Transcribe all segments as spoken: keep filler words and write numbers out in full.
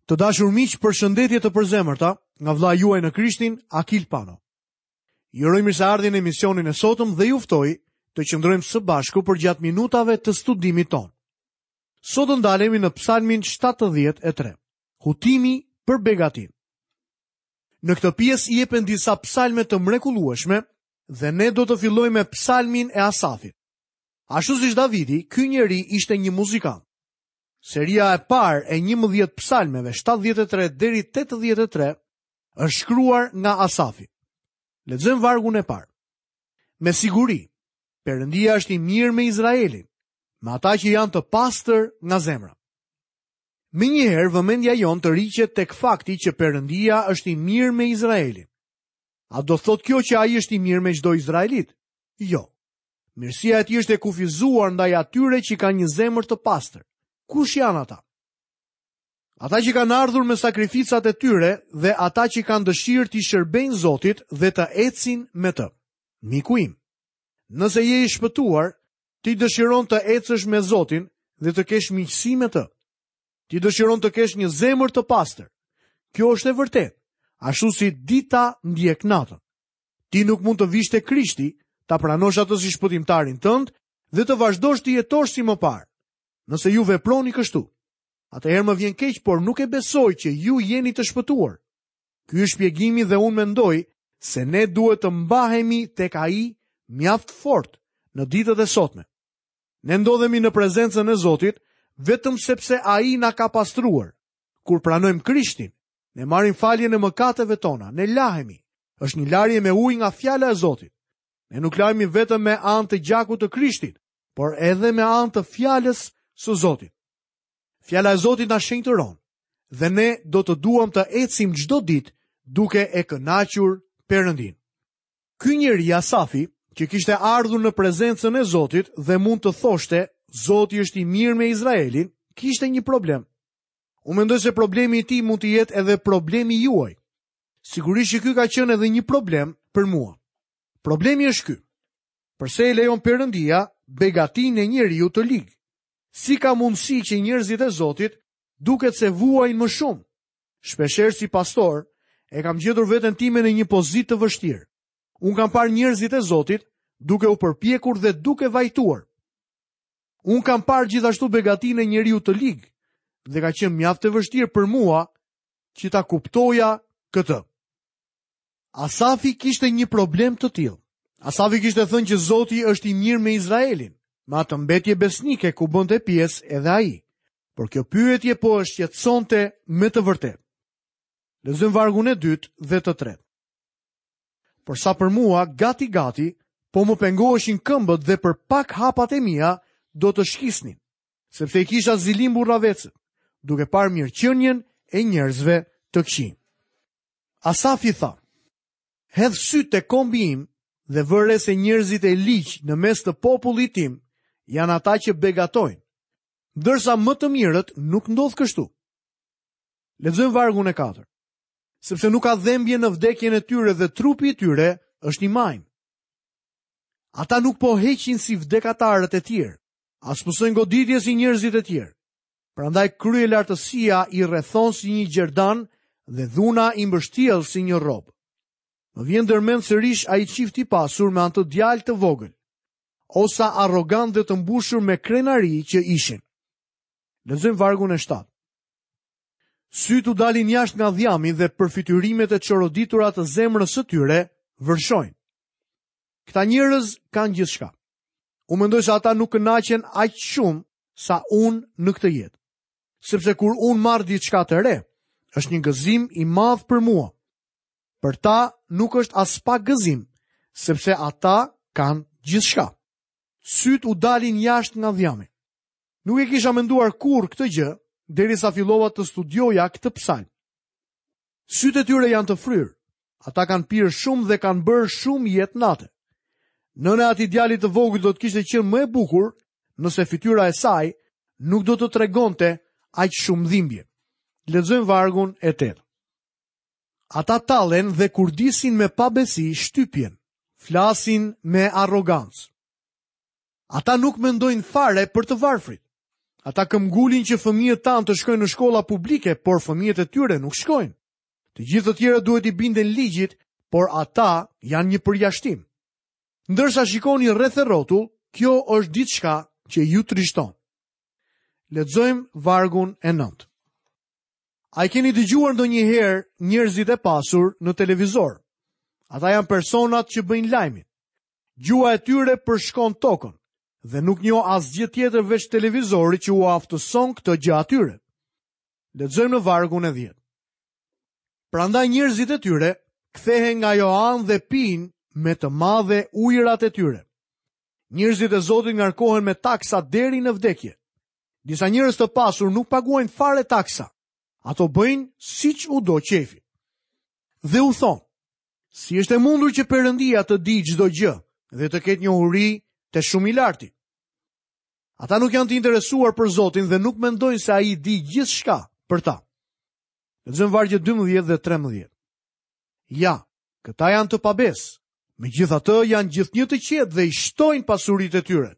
Të dashur miq, përshëndetje të përzemërta nga vëllai juaj në Krishtin, Akil Pano. Ju uroj mirëseardhjen në emisionin e sotëm dhe ju ftoj të qëndrojmë së bashku përgjatë minutave të studimit tonë. Sot do ndalemi në Psalmin shtatëdhjetë e tre. Hutimi për begatinë. Në këtë pjesë jepen disa psalme të mrekullueshme dhe ne do të fillojmë me psalmin e Asafit. Ashtu siç Davidi, ky njeri ishte një muzikant. Seria e parë e njëmbëdhjetë psalmeve shtatëdhjetë e tre deri tetëdhjetë e tre është shkruar nga Asafi. Lexojmë vargun e parë. Me siguri, Perëndia është i mirë me Izraelin, me ata që janë të pastër nga zemra. Menjëherë vëmendja jonë të riqet tek fakti që Perëndia është i mirë me Izraelin. A do thotë kjo që ai është i mirë me çdo izraelit? Jo. Mirësia e tij është e kufizuar ndaj atyre që kanë një zemër të pastër. Kush janë ata? Ata që kanë ardhur me sakrificat e tyre dhe ata që kanë dëshirë t'i shërbejnë Zotit dhe të ecin me të. Miku im, nëse je i shpëtuar, ti dëshiron të ecësh me Zotin dhe të kesh miqësi me të. Ti dëshiron të kesh një zemër të pastër. Kjo është e vërtetë, ashtu si dita ndjek natën. Ti nuk mund të vish te Krishti, ta pranosh atë si shpëtimtarin tënd dhe të vazhdosh të jetosh si më parë. Nëse ju veproni kështu, atëherë më vjen keq, por nuk e besoj që ju jeni të shpëtuar. Ky është shpjegimi dhe unë mendoj se ne duhet të mbahemi tek ai mjaft fort në ditët e sotme. Ne ndodhemi në prezencën e Zotit vetëm sepse ai na ka pastruar. Kur pranojmë Krishtin, ne marrim faljen e mëkateve tona, ne lahemi. Është një larje me ujë nga fjala e Zotit. Ne nuk lahemi vetëm me anë të gjakut të Krishtit, por edhe me anë të fjalës së Zotit. Fjala e Zotit na shenjtëron dhe ne do të duam të ecim çdo ditë duke e kënaqur Perëndin. Ky njeri Asafi, që kishte ardhur në prezencën e Zotit dhe mund të thoshte Zoti është i mirë me Izraelin, kishte një problem. Unë mendoj se problemi i tij mund të jetë edhe problemi juaj. Sigurisht që ky ka qenë edhe një problem për mua. Problemi është ky. Përse e lejon Perëndia begatinë e njeriu të lig? Si ka mundësi që njerëzit e Zotit duket se vuajnë më shumë? Shpeshherë si pastor, e kam gjetur veten time në një pozitë të vështirë. Unë kam parë njerëzit e Zotit duke u përpjekur dhe duke vajtuar. Unë kam parë gjithashtu begatinë e njeriu të lig dhe ka qenë mjaft e vështirë për mua që ta kuptoja këtë. Asafi kishte një problem të tillë. Asafi kishte thënë që Zoti është i mirë me Izraelin, me atë mbetje besnike ku bënte pjesë edhe ai. Por kjo pyetje po e shqetësonte me të vërtetë. Lexojmë vargun e dytë dhe të tretë. Por sa për mua, gati gati, po më pengoheshin këmbët dhe për pak hapat e mia do të shkisnin, sepse i kisha zilim burravecët, duke parë mirëqenien e njerëzve të këqij. Asafi tha: Hedh sytë te kombi im dhe vëre se njerëzit e ligj në mes të popullit tim janë ata që begatojnë, ndërsa më të mirët nuk ndodh kështu. Lexojmë vargun e katërt. Sepse nuk ka dhembje në vdekjen e tyre dhe trupi i tyre është i majmë. Ata nuk po heqin si vdekatarët e tjerë, as pësojnë goditje si njerëzit e tjerë. Prandaj kryelartësia i rrethon si një gjerdan dhe dhuna i mbështjell si një rob. Më vjen ndërmend sërish ai çift i pasur me anë të djalë të vogël, osa arrogant dhe të mbushur me krenari që ishin. Lexojmë vargun e shtatë. Sytë u dalin jashtë nga dhjami dhe përfytyrimet e çoroditura të zemrës së tyre vërshojnë. Këta njerëz kanë gjithçka. Unë mendoj se ata nuk kënaqen aq shumë sa unë në këtë jetë. Sepse kur unë marr diçka të re, është një gëzim i madh për mua. Për ta nuk është as pak gëzim, sepse ata kanë gjithçka. Sytë u dalin jashtë nga dhjami. Nuk e kisha menduar kurrë këtë gjë, derisa fillova të studioja këtë psalm. Sytë e tyre janë të fryrë. Ata kanë pirë shumë dhe kanë bërë shumë jetë nate. Nëna e atij djalit të vogël do të kishte qenë më e bukur nëse fytyra e saj nuk do të tregonte aq shumë dhimbje. Lexojmë vargun e tetë. Ata tallen dhe kurdisin me pabesi shtypjen, flasin me arrogancë. Ata nuk mendojnë fare për të varfrit. Ata këmbgulin që fëmijët tanë të shkojnë në shkolla publike, por fëmijët e tyre nuk shkojnë. Të gjithë të tjerët duhet i binden ligjit, por ata janë një përjashtim. Ndërsa shikoni rreth e rrotull, kjo është diçka që ju trishton. Lexojmë vargun e nëntë. A i keni dëgjuar ndonjëherë njerëzit e pasur në televizor? Ata janë personat që bëjnë lajmin. Gjuha e tyre përshkon tokën dhe nuk njoh asgjë tjetër veç televizorit që u aftëson këtë gjë atyre. Lexojmë në vargun e dhjetë. Prandaj njerëzit e tyre kthehen nga ajo anë dhe pinë me të madhe ujërat e tyre. Njerëzit e Zotit ngarkohen me taksa deri në vdekje. Disa njerëz të pasur nuk paguajnë fare taksa. Ato bëjnë siç u do qefi. Dhe u thonë, si është e mundur që Perëndia të di çdo gjë dhe të ketë njohuri të shumë i larti? Ata nuk janë të interesuar për Zotin dhe nuk mendojnë se ai di gjithçka për ta. Lexojmë vargjet dymbëdhjetë dhe trembëdhjetë. Ja, këta janë të pabesë. Megjithatë janë gjithnjë të qetë dhe i shtojnë pasuritë e tyre.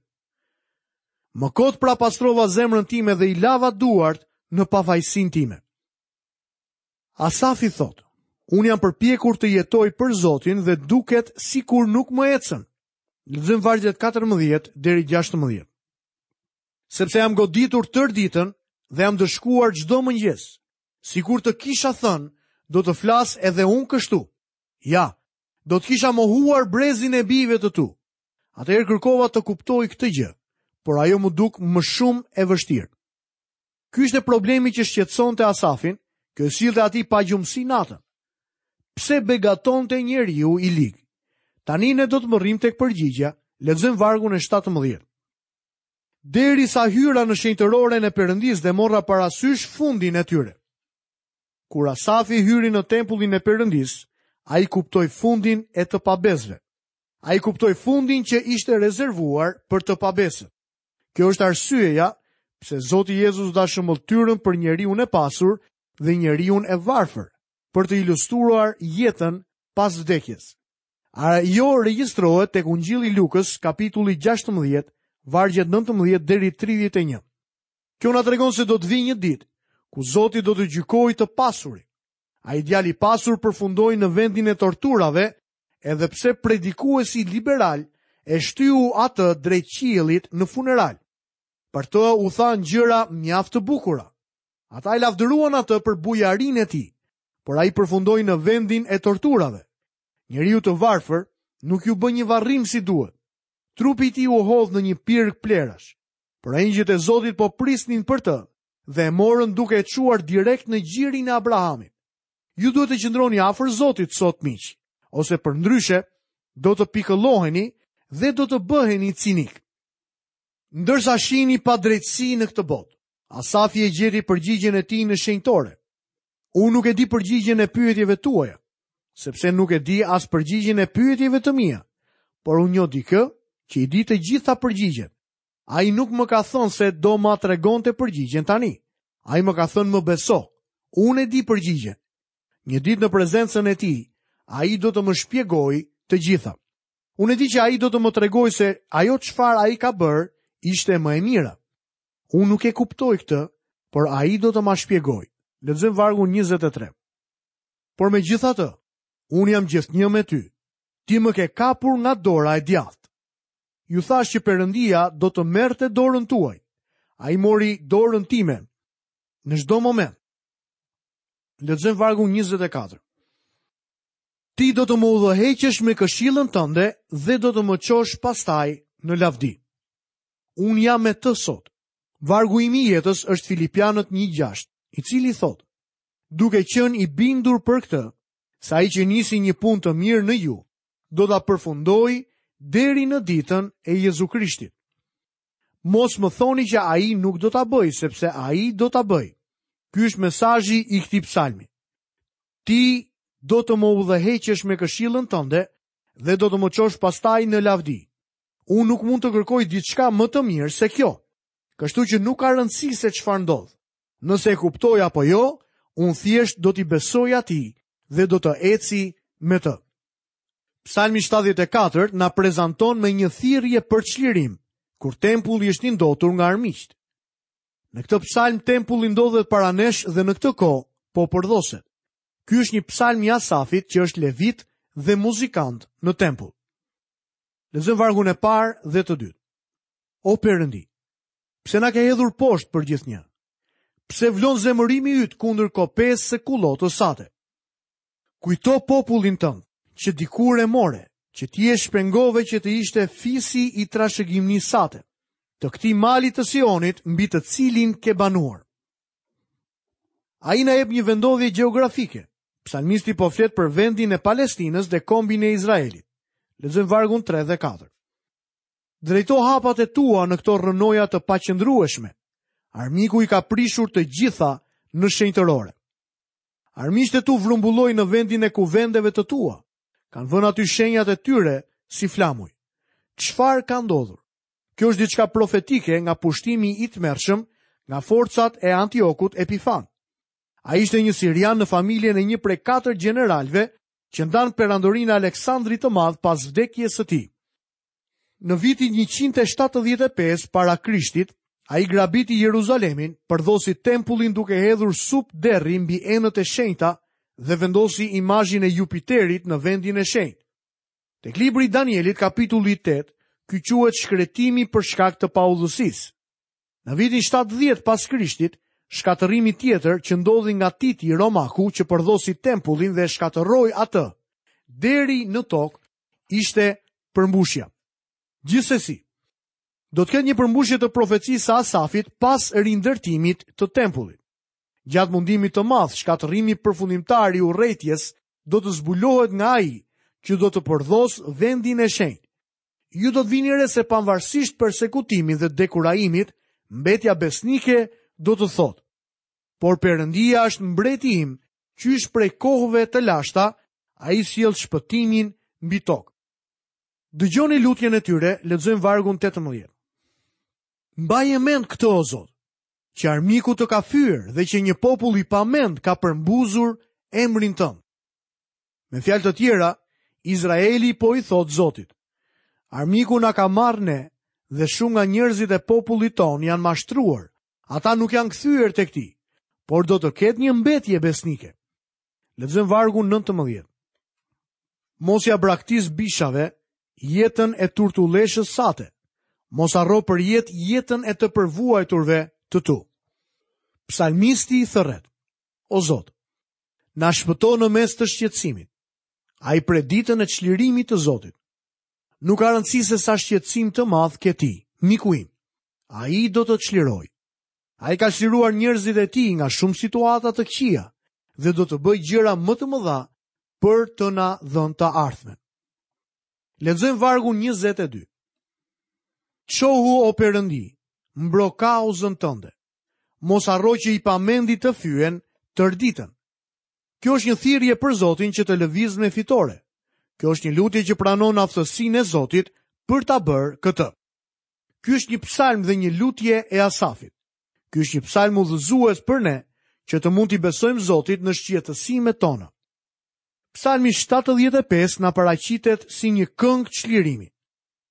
Më kot pra pastrova zemrën time dhe i lava duart në pafajësinë time. Asafi thotë, unë jam përpjekur të jetoj për Zotin dhe duket sikur nuk më ecën. Lexojmë vargjet katërmbëdhjetë deri gjashtëmbëdhjetë. Sepse jam goditur tërë ditën dhe jam dëshkuar çdo mëngjes. Sikur të kisha thënë, do të flas edhe unë kështu. Ja, do të kisha mohuar brezin e bijve të tu. Atëherë kërkova të kuptoj këtë gjë, por ajo më duk më shumë e vështirë. Ky ishte problemi që shqetësonte Asafin, kjo i sillte atij pagjumësi natën. Pse begatonte njeriu i lig? Tani ne do të mërrim tek përgjigja, lexojmë vargun e shtatëmbëdhjetë. Derisa hyra në shenjtëroren e Perëndisë dhe morra parasysh fundin e tyre. Kur Asafi hyri në tempullin e Perëndisë, ai kuptoi fundin e të pabesëve. Ai kuptoi fundin që ishte rezervuar për të pabesët. Kjo është arsyeja pse Zoti Jezus dha shëmbëlltyrën për njeriun e pasur dhe njeriun e varfër, për të ilustruar jetën pas vdekjes. Ajo regjistrohet tek Ungjilli i Lukës, kapitulli gjashtëmbëdhjetë, vargjet nëntëmbëdhjetë deri tridhjetë e një. Kjo na tregon se do të vijë një ditë ku Zoti do të gjykojë të pasurit. Ai djali i pasur përfundoi në vendin e torturave, edhe pse predikuesi liberal e shtyu atë drejt qiellit në funeral. Për të u thanë gjëra mjaft të bukura. Ata e lavdëruan atë për bujarinë e tij, por ai përfundoi në vendin e torturave. Njeriu të varfër nuk ju bë një varrim si duhet. Trupi i tij u hodh në një pirg plerash, por engjëjt e Zotit po prisnin për të dhe e morën duke e çuar direkt në gjirin e Abrahamit. Ju duhet të qëndroni afër Zotit sot, miq, ose përndryshe do të pikëlloheni dhe do të bëheni cinik. Ndërsa shihni padrejtësi në këtë botë, Asafi e gjeti përgjigjen e tij në shenjtore. Unë nuk e di përgjigjen e pyetjeve tuaja, sepse nuk e di as përgjigjen e pyetjeve të mia, por unë njoh dikë që i di të gjitha përgjigjet. Ai nuk më ka thënë se do ma tregonte përgjigjen tani. Ai më ka thënë më beso, unë e di përgjigjen. Një ditë në prezencën e tij, ai do të më shpjegojë të gjitha. Unë e di që ai do të më tregojë se ajo çfarë ai ka bërë ishte më e mira. Unë nuk e kuptoj këtë, por ai do të ma shpjegojë. Lexojmë vargun njëzet e tre. Por megjithatë, unë jam gjithnjë me ty. Ti më ke kapur nga dora e djathtë. Ju thash që Perëndia do të merrte dorën tuaj. Ai mori dorën time në çdo moment. Lexojmë vargun njëzet e katër. Ti do të më udhëheqësh me këshillën tënde dhe do të më çosh pastaj në lavdi. Unë jam me të sot. Vargu im i jetës është Filipianët një gjashtë, i cili thotë: Duke qenë i bindur për këtë, se ai që nisi një punë të mirë në ju, do ta përfundojë deri në ditën e Jezu Krishtit. Mos më thoni që ai nuk do ta bëjë, sepse ai do ta bëjë. Ky është mesazhi i këtij psalmi. Ti do të më udhëheqësh me këshillën tënde dhe do të më çosh pastaj në lavdi. Unë nuk mund të kërkoj diçka më të mirë se kjo. Kështu që nuk ka rëndësi se çfarë ndodh. Nëse e kuptoj apo jo, unë thjesht do t'i besoj atij dhe do të eci me të. Psalmi shtatëdhjetë e katër na prezanton me një thirrje për çlirim, kur tempulli është i ndotur nga armiqt. Në këtë psalm tempulli ndodhet para nesh dhe në këtë kohë po përdhoset. Ky është një psalm i Asafit që është levit dhe muzikant në tempull. Lexojmë vargun e parë dhe të dytë. O Perëndi, pse na ke hedhur poshtë për gjithnjë? Pse vlon zemërimi yt kundër kopesë së kullotës sate? Kujto popullin tënd, që dikur e more, që ti e shpengove që të ishte fisi i trashëgimnisë sate, të këtij mali të Sionit mbi të cilin ke banuar. Ai na jep një vendodhje gjeografike. Psalmisti po flet për vendin e Palestinës dhe kombin e Izraelit. Lexojmë vargun tre dhe katër. Drejto hapat e tua në këto rrënoja të paqëndrueshme. Armiku i ka prishur të gjitha në shenjtërore. Armiqtë e tu vrumbullojnë në vendin e kuvendeve të tua. Kanë vënë aty shenjat e tyre si flamuj. Çfarë ka ndodhur? Kjo është diçka profetike nga pushtimi i tmerrshëm nga forcat e Antiokut Epifan. Ai ishte një sirian në familjen e një prej katër gjeneralëve që ndan perandorinë e Aleksandrit të Madh pas vdekjes së tij. Në vitin njëqind e shtatëdhjetë e pesë para Krishtit, ai grabiti Jeruzalemin, përdhosi tempullin duke hedhur sup derri mbi enët e shenjta dhe vendosi imazhin e Jupiterit në vendin e shenjtë. Tek libri i Danielit, kapitulli tetë, ky quhet shkretimi për shkak të paudhësisë. Në vitin shtatëdhjetë pas Krishtit, shkatërrimi tjetër që ndodhi nga Titi Romaku që përdhosi tempullin dhe shkatërroi atë deri në tokë, ishte përmbushja. Gjithsesi, do të ketë një përmbushje të profecisë së Asafit pas rindërtimit të tempullit. Gjatë mundimit të madh, shkatërrimi përfundimtar i urrejtjes do të zbulohet nga ai që do të përdhos vendin e shenjtë. Ju do të vini re se pavarësisht persekutimit dhe dekurajimit, mbetja besnike do të thotë: Por Perëndia është mbreti im, qysh prej kohëve të lashta, ai sjell shpëtimin mbi tokë. Dëgjoni lutjen e tyre, lexojmë vargun tetëmbëdhjetë. Mbaje mend këtë, o Zot, që armiku të ka fyer dhe që një popull i pamend ka përmbuzur emrin tënd. Me fjalë të tjera, Izraeli po i thot Zotit: Armiku na ka marrë ne dhe shumë nga njerëzit e popullit ton janë mashtruar. Ata nuk janë kthyer tek ti, por do të ketë një mbetje besnike. Lexojmë vargun nëntëmbëdhjetë. Mos ja braktis bishave jetën e turtulleshës sate. Mos harro për jetë jetën e të përvuajturve të tu. Psalmisti i thërret: O Zot, na shpëto në mes të shqetësimit. Ai pret ditën e çlirimit të Zotit. Nuk ka rëndësi se sa shqetësim të madh ke ti, miku im. Ai do të çlirojë. Ai ka çliruar njerëzit e tij nga shumë situata të këqija dhe do të bëjë gjëra më të mëdha për të na dhënë të ardhmen. Lexojmë vargun njëzet e dy. Çohu, o Perëndi, mbro kauzën tënde. Mos harro që i pamendi të fyen tër ditën. Kjo është një thirrje për Zotin që të lëvizë me fitore. Kjo është një lutje që pranon aftësinë e Zotit për ta bërë këtë. Ky është një psalm dhe një lutje e Asafit. Ky është një psalm udhëzues për ne që të mund t'i besojmë Zotit në shqetësimet tona. Psalmi shtatëdhjetë e pesë na paraqitet si një këngë çlirimi.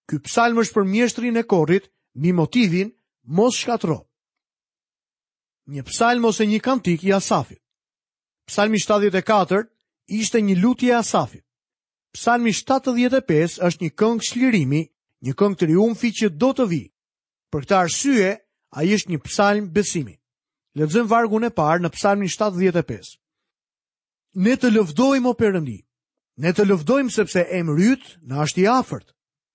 Ky psalm është për mjeshtrin e korit mbi motivin mos shkatërro. Një psalm ose një kantik i Asafit. Psalmi shtatëdhjetë e katër ishte një lutje e Asafit. Psalmi shtatëdhjetë e pesë është një këngë çlirimi, një këngë triumfi që do të vijë. Për këtë arsye, ai është një psalm besimi. Lexojmë vargun e parë në Psalmin shtatëdhjetë e pesë. Ne të lëvdojmë, o Perëndi. Ne të lëvdojmë sepse emri yt na është i afërt.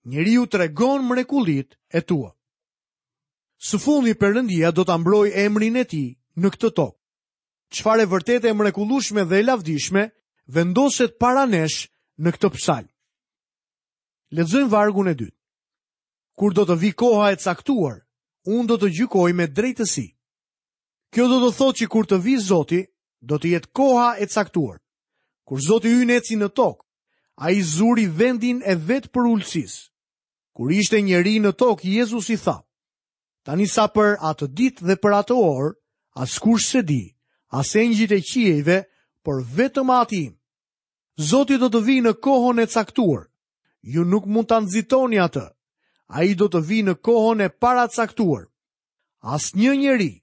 Njeriu tregon mrekullitë e tua. Së fundi Perëndia do ta mbrojë emrin e tij në këtë tokë. Çfarë e vërtetë e mrekullueshme dhe e lavdishme vendoset para nesh në këtë psalm. Lexojmë vargun e dytë. Kur do të vi koha e caktuar, unë do të gjykoj me drejtësi. Kjo do të thotë që kur të vi Zoti, do të jetë koha e caktuar. Kur Zoti ynë eci në tokë, ai zuri vendin e vetë përulësisë. Kur ishte njeri në tokë, Jezusi tha: Tani sa për atë ditë dhe për atë orë, askush s'e di, as engjëjt e qiejve, por vetëm Ati im. Zoti do të vijë në kohën e caktuar. Ju nuk mund ta nxitoni atë. Ai do të vijë në kohën e paracaktuar. Asnjë njeri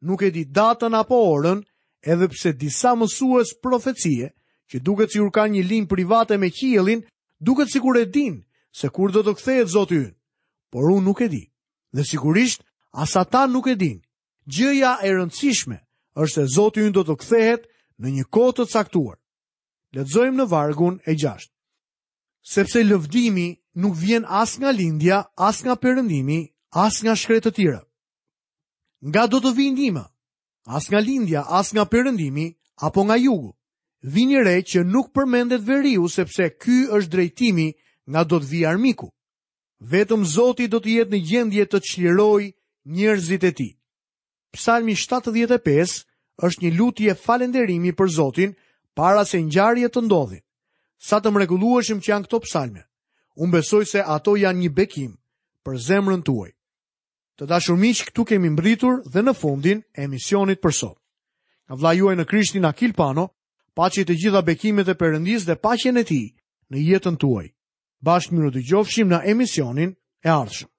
nuk e di datën apo orën, edhe pse disa mësues profecie, që duket sikur kanë një linjë private me qiellin, duket sikur e dinë se kur do të kthehet Zoti ynë. Por unë nuk e di. Dhe sigurisht as ata nuk e dinë. Gjëja e rëndësishme është se Zoti ynë do të kthehet në një kohë të caktuar. Lexojmë në vargun e gjashtë. Sepse lëvdimi nuk vjen as nga lindja, as nga perëndimi, as nga shkretëtira. Nga do të vijë ndihma? As nga lindja, as nga perëndimi, apo nga jugu. Vini re që nuk përmendet veriu, sepse ky është drejtimi nga do të vijë armiku. Vetëm Zoti do të jetë në gjendje të çlirojë njerëzit e tij. Psalmi shtatëdhjetë e pesë është një lutje falënderimi për Zotin para se ngjarjet të ndodhin. Sa të mrekullueshëm që janë këto psalme. Unë besoj se ato janë një bekim për zemrën tuaj. Të dashur miq, këtu kemi mbritur dhe në fundin e emisionit për sot. Nga vëllai juaj në Krishtin Akil Pano, paçi të gjitha bekimet e Perëndisë dhe paqen e tij në jetën tuaj. Bashkë mirë dëgjofshim në emisionin e ardhshëm.